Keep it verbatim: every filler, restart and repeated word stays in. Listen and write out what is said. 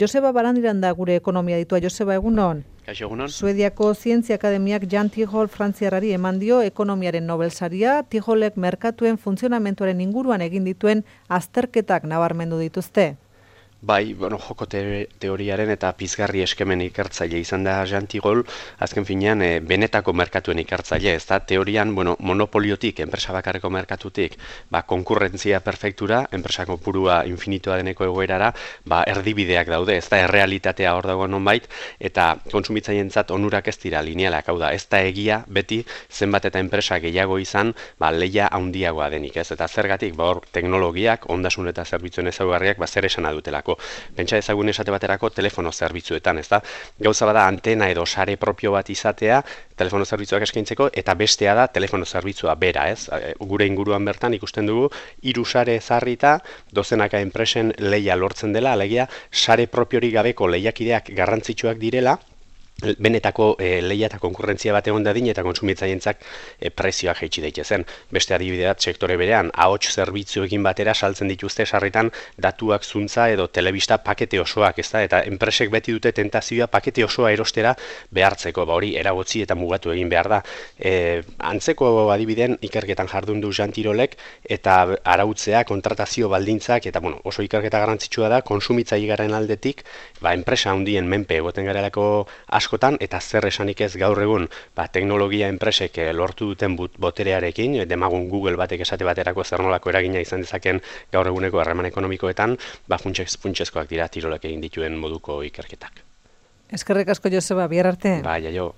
Joseba Barandiran da gure ekonomia ditua. Joseba, egunon? Kaixo, egunon? Suediako Zientzia Akademiak Jan Tijol frantziarrari eman dio ekonomiaren Nobelsaria. Tijolek merkatuen funtzionamentuaren inguruan egin dituen azterketak nabarmendu dituzte. Bai, bueno, joko te teoriaren eta pizgarri eskemen ikertzaile izan da Jan Tijol, azken finean e, benetako merkatuen ikertzaile, ez da, teorian, bueno, monopoliotik, enpresa bakarreko merkatutik, ba, konkurrentzia perfektura, enpresa kopurua infinitoa deneko egoerara, ba, erdibideak daude, ez da, errealitatea hor dago nonbait, eta kontsumitzaileentzat onurak ez dira linealak, hau da, ez da egia beti zenbat eta enpresa gehiago izan, ba, leia handiagoa denik, ez, eta zergatik, ba, hor, teknologiak, ondasun eta zerbitzuen ezaugarriak, ba, zer esana dutelako. Pentsa ezagun esate baterako telefono zerbitzuetan, ez da? Gauza bada antena edo sare propio bat izatea, telefono zerbitzuak eskaintzeko, eta bestea da telefono zerbitzua bera, ez? Gure inguruan bertan ikusten dugu, hiru sare ezarrita, dozenaka enpresen leia lortzen dela, alegia sare propiorik gabeko lehiakideak garrantzitsuak direla, benetako e, leia eta konkurrentzia bat egon dadin eta kontsumitzaientzak e, prezioak jaitsi daitezen. Beste adibideat sektore berean, ahots zerbitzuekin batera saltzen dituzte sarritan datuak zuntza edo telebista pakete osoak, ezta? Eta enpresek beti dute tentazioa pakete osoa erostera behartzeko, ba hori eragotzi eta mugatu egin behar da. E, antzeko adibideen ikerketan jardun du Jan Tijolek eta arautzea, kontratazio baldintzak eta bueno, oso ikerketa garrantzitsua da kontsumitzailaren aldetik, ba enpresa handien menpe egoten garelako asko eta zer esanik ez gaur egun ba, teknologia enpresek lortu duten boterearekin, demagun Google batek esate baterako zer nolako eragina izan dezaken gaur eguneko harreman ekonomikoetan, ba, funtsezkoak dira Tijolek egin dituen moduko ikerketak. Eskerrik asko, Joseba, bihar arte. Bai, jaio.